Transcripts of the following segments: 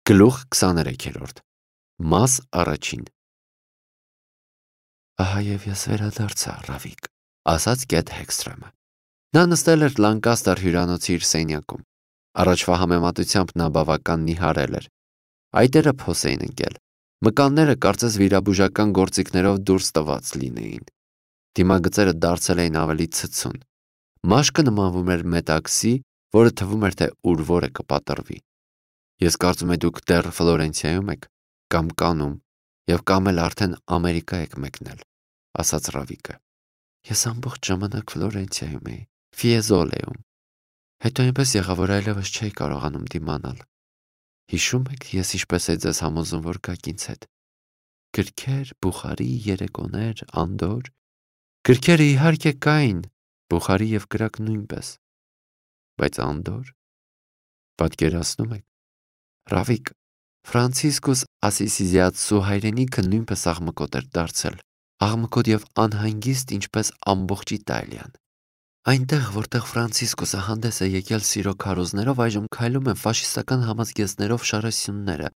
Գլուխ 23 Մաս առաջին Ահա և ես վերադարձա, Ռավիկ, ասաց Կեթ Հեքսթրոմը։ Նա նստել էր Լանկաստեր հյուրանոցի իր սենյակում։ Առաջվա համեմատությամբ նա բավական նիհարել էր։ Այտերը փոս էին ընկել։ Մկանները կարծես վիրաբուժական գործիքներով դուրս տված լինեին։ Դիմագծերը դարձել էին ավելի ցցուն։ Մաշկը նմանվում էր մետաքսի, որը թվում էր, թե ուր-որ է կպատրվի։ Ես կարծում եմ դուք դեռ Ֆլորենցիայում եք, կամ Կաննում, և կամ էլ արդեն Ամերիկա եք մեկնել, ասաց Ռավիկը։ Ես ամբողջ ժամանակ Ֆլորենցիայում էի, Ֆիեզոլեում։ Հետո այնպես եղավ, որ այլևս չէի կարողանում դիմանալ։ Հիշում եք, ես ինչպես էի ձեզ համոզում, որ գաք ինձ հետ։ Գրքեր, Բուխարի, երեկոներ, անդոր։ Գրքերը իհարկե կային, Բուխարի և կրակ նույնպես։ Բայց անդոր։ Պատկերացնում եք։ Ռավիկ, Ֆրանցիսկոս Ասիսիզիացու հայրենիքը նույնպես աղմկոտ էր դարձել, աղմկոտ և անհանգիստ, ինչպես ամբողջ Իտալիան։ Այնտեղ, որտեղ Ֆրանցիսկոսը հանդես է եկել սիրո քարոզներով, այժմ քայլում են ֆաշիստական համազգեստներով շարասյունները,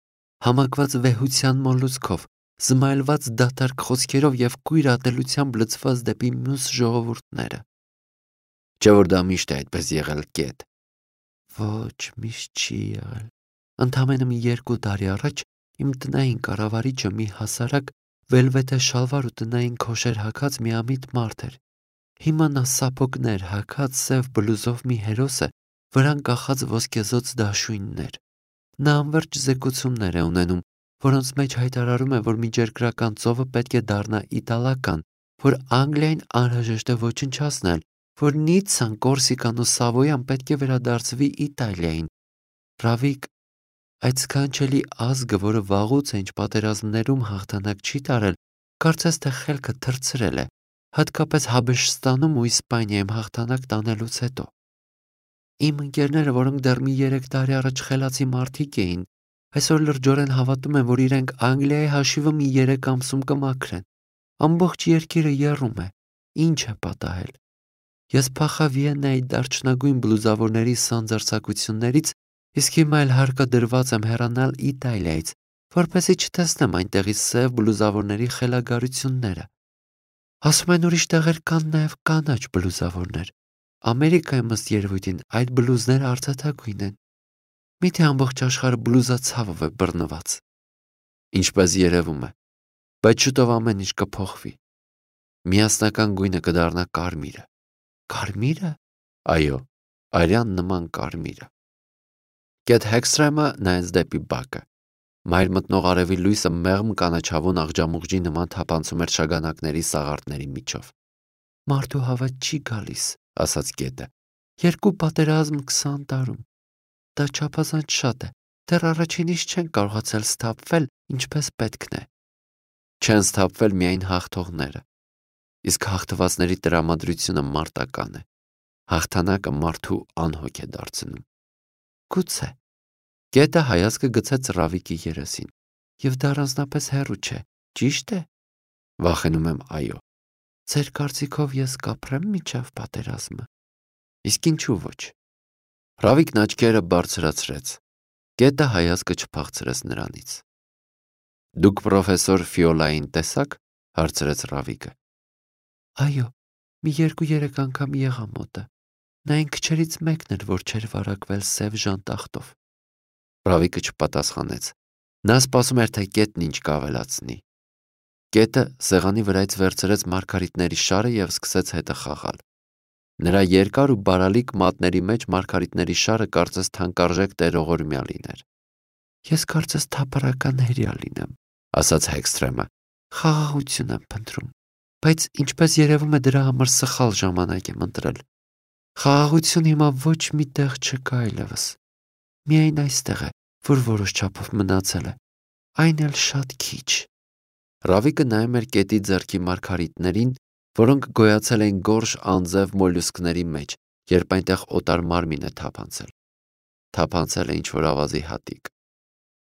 համակված վեհության մոլուցքով, զմայլված դատարկ խոսքերով և կույր ատելությամբ լցված դեպի մյուս ժողովուրդները։ Չէ՞ որ դա միշտ է այդպես եղել, Կեթ։ Ոչ, միշտ չի եղել։ Ընդամենը մի 2 տարի առաջ իմ տնային կառավարիչը մի հասարակ վելվետե շալվար ու տնային քոշեր հագած միամիտ մարդ էր։ Հիմա նա սափոգներ հագած սև բլուզով մի հերոս է, վրան կախած ոսկեզօծ դաշույններ։ Նա անվերջ զեկուցումներ է ունենում, որոնց մեջ հայտարարում է, որ միջերկրական ծովը պետք է դառնա իտալական, որ Անգլիային անհրաժեշտ է ոչնչացնել, որ Նիցցան, Կորսիկան ու Սավոյան պետք է վերադարձվի Իտալիային։ Ռավիկ, այդ սքանչելի ազգը, որը վաղուց է ինչ պատերազմներում հաղթանակ չի տարել, կարծես թե խելքը թռցրել է, հատկապես Հաբեշստանում ու Իսպանիայում հաղթանակ տանելուց հետո։ Իմ ընկերները, որոնք դեռ մի 3 տարի առաջ խելացի մարդիկ էին, այսօր լրջորեն հավատում են, որ իրենք Անգլիայի հաշիվը մի 3 ամսում կմաքրեն։ Ամբողջ երկիրը եռում է։ Ինչ է պատահել։ Ես փախա Վիեննայի դարչնագույն բլուզավորների սանձարձակություններից, իսկ հիմա էլ հարկադրված եմ հեռանալ Իտալիայից, որպեսզի չտեսնեմ այնտեղի սև բլուզավորների խելագարությունները։ Ասում են ուրիշ տեղեր կան նաև կանաչ բլուզավորներ։ Ամերիկայում ըստ երևույթին այդ բլուզները արծաթագույն են։ Միթե ամբողջ աշխարհը բլուզացավով է բռնված։ Ինչպես երևում է, բայց շուտով ամեն ինչ կփոխվի։ Միասնական գույնը կդառնա կարմիրը։ Կարմիրը։ Այո, արյան նման կարմիրը։ Կեթ Հեքսթրոմը նայեց դեպի բակը։ Մայր մտնող արևի լույսը մեղմ կանաչավուն աղջամուղջի նման թափանցում էր շագանակների սաղարթների միջով։ Մարդու հավատ չի գալիս, ասաց Կետը։ 2 պատերազմ 20 տարում։ Դա չափազանց շատ է։ Դեռ առաջինից չեն կարողացել սթափվել, ինչպես պետքն է։ Չեն սթափվել միայն հաղթողները։ Իսկ հաղթվածների տրամադրությունը մարտական է։ Հաղթանակը մարդու անհոգ է դարձնում։ Գուցե։ Կետը հայացքը գցեց Ռավիկի երեսին։ Եվ դա առանձնապես հեռու չէ, ճիշտ է։ Վախենում եմ, այո։ Ձեր կարծիքով ես կապրեմ մինչև պատերազմը։ Իսկ ինչու ոչ։ Ռավիկն աչքերը բարձրացրեց։ Կետը հայացքը չփախցրեց նրանից։ Դուք պրոֆեսոր Ֆիոլային տեսաք, հարցրեց Ռավիկը։ Այո, մի 2-3 անգամ եղա մոտը։ Նա այն քչերից մեկն էր, որ չէր վարակվել սև ժանտախտով։ Ռավիկը չպատասխանեց։ Նա սպասում էր, թե Կետն ինչ կավելացնի։ Կետը սեղանի վրայից վերցրեց մարգարիտների շարը և սկսեց հետը խաղալ։ Նրա երկար ու բարալիկ մատների մեջ մարգարիտների շարը կարծես թանկարժեք տերողորմյա լիներ։ Ես կարծես թափառական հրեա լինեմ, ասաց Հեքսթրոմը։ Խաղաղություն եմ փնտրում, բայց ինչպես երևում է դրա համար սխալ ժամանակ եմ ընտրել։ Խաղաղություն հիմա ոչ մի տեղ չկա այլևս։ Միայն այստեղ է, որ որոշ չափով մնացել է, այն էլ շատ քիչ։ Ռավիկը նայում էր Կետի ձեռքի մարգարիտներին, որոնք գոյացել էին գորշ անձև մոլյուսկների մեջ, երբ այնտեղ օտար մարմին է թափանցել։ Թափանցել է ինչ-որ ավազի հատիկ։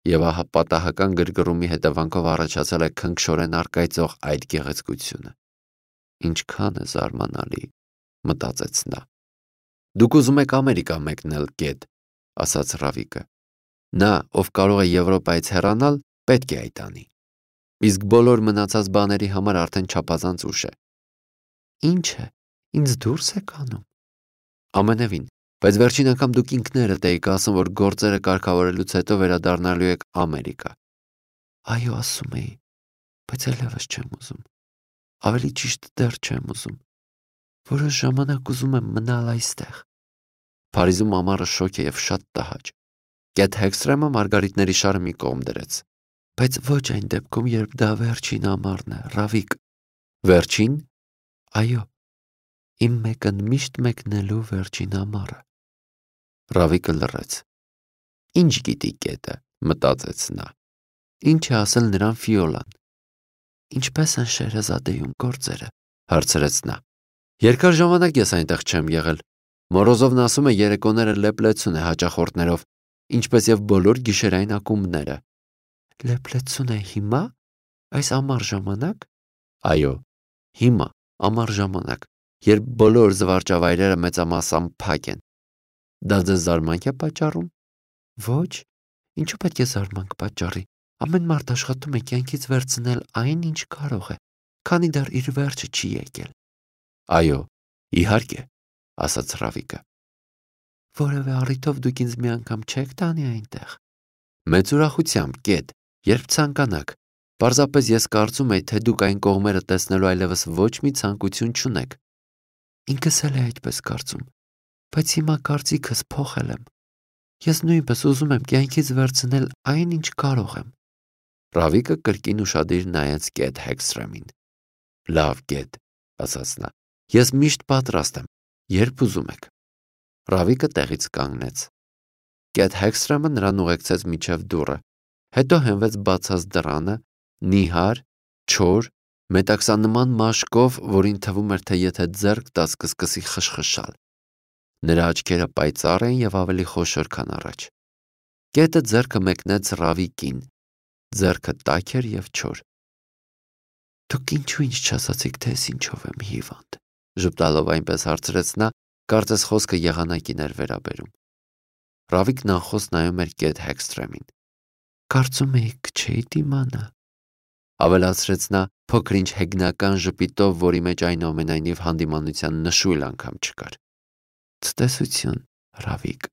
Եվ ահա պատահական գրգռումի հետևանքով առաջացել է քնքշորեն առկայծող այդ գեղեցկությունը։ Ինչքան է զարմանալի, մտածեց նա։ Դուք ուզում եք Ամերիկա մեկնել, Կետ, ասաց Ռավիկը։ Նա, ով կարող է Եվրոպայից հեռանալ, պետք է այդ անի։ Իսկ բոլոր մնացած բաների համար արդեն չափազանց ուշ է։ Ինչ է, ինձ դուրս եք անում։ Ամենևին, բայց վերջին անգամ դուք ինքներդ էիք ասում, որ գործերը կարգավորելուց հետո վերադառնալու եք Ամերիկա։ Այո, ասում էի, բայց այլևս չեմ ուզում։ Ավելի ճիշտ դեռ չեմ ուզում։ Որոշ ժամանակ ուզում եմ մնալ այստեղ։ Փարիզում ամառը շոգ է եւ շատ տհաճ։ Կեթ Հեքսթրեմը մարգարիտների շարը մի կողմ դրեց։ Բայց ոչ այն դեպքում, երբ դա վերջին ամառն է, Ռավիկ։ Վերջին։ Այո, իմ մեկընդմիշտ մեկնելու վերջին ամառը։ Ռավիկը լռեց։ Ինչ գիտի Կետը, մտածեց նա։ Ինչ է ասել նրան Ֆիոլան։ Ինչպես են Շեհրեզադեյում գործերը, հարցրեց նա։ Երկար ժամանակ ես այնտեղ չեմ եղել։ Մորոզովն ասում է երեկոները լեփլեցուն է հաճախորդներով, ինչպես եւ բոլոր գիշերային ակումբները։ Լեփլեցուն է հիմա։ Այս ամառ ժամանակ։ Այո, հիմա ամառ ժամանակ, երբ բոլոր զվարճավայրերը մեծամասամբ փակ են։ Դա ձեզ զարմանք է պատճառում։ Ոչ, ինչու պետք է զարմանք պատճառի։ Ամեն մարդ աշխատում է կյանքից վերցնել այն, ինչ կարող է, քանի դեռ իր վերջը չի եկել։ Այո, իհարկե, ասաց Ռավիկը։ Որևէ առիթով դուք ինձ մի անգամ չեք տանի այնտեղ։ Մեծ ուրախությամբ, Կետ, երբ ցանկանաք։ Պարզապես ես կարծում եի, թե դուք այն կողմերը տեսնելու այլևս ոչ մի ցանկություն չունեք։ Ինքս էլ է այդպես կարծում, բայց հիմա կարծիքս փոխել եմ։ Ես նույնպես ուզում եմ կյանքից վերցնել այն, ինչ կարող եմ։ Ռավիկը կրկին ուշադիր նայեց Կեթ Հեքսթրեմին։ Լավ, Կետ, ասաց նա։ Ես միշտ պատրաստ եմ, երբ ուզում եք։ Ռավիկը տեղից կանգնեց։ Կեթ Հեքսթրեմը նրան ուղեկցեց մինչև դուռը, հետո հենվեց բացած դռանը, նիհար, չոր, մետաքսանման մաշկով, որին թվում էր, թե եթե ձեռք տաց կսկսի խշխշալ։ Նրա աչքերը պայծառ էին եւ ավելի խոշոր, քան առաջ։ Կետը ձեռքը մեկնեց Ռավիկին, ձեռքը տաք էր եւ չոր։ Դուք ինչու ինձ չասացիք, թե ես ինչով եմ հիվանդ։ Ժպտալով այնպես հարցրեց նա, կարծես խոսքը եղանակին էր վերաբերում։ Ռավիկն անխոս նայում էր Կեթ Հեքսթրեմին։ Կարծում էի չէի դիմանա, ավելացրեց նա փոքր-ինչ հեգնական ժպիտով, որի մեջ այնուամենայնիվ հանդիմանության նշույլ անգամ չկար։ Ցտեսություն, Ռավիկ։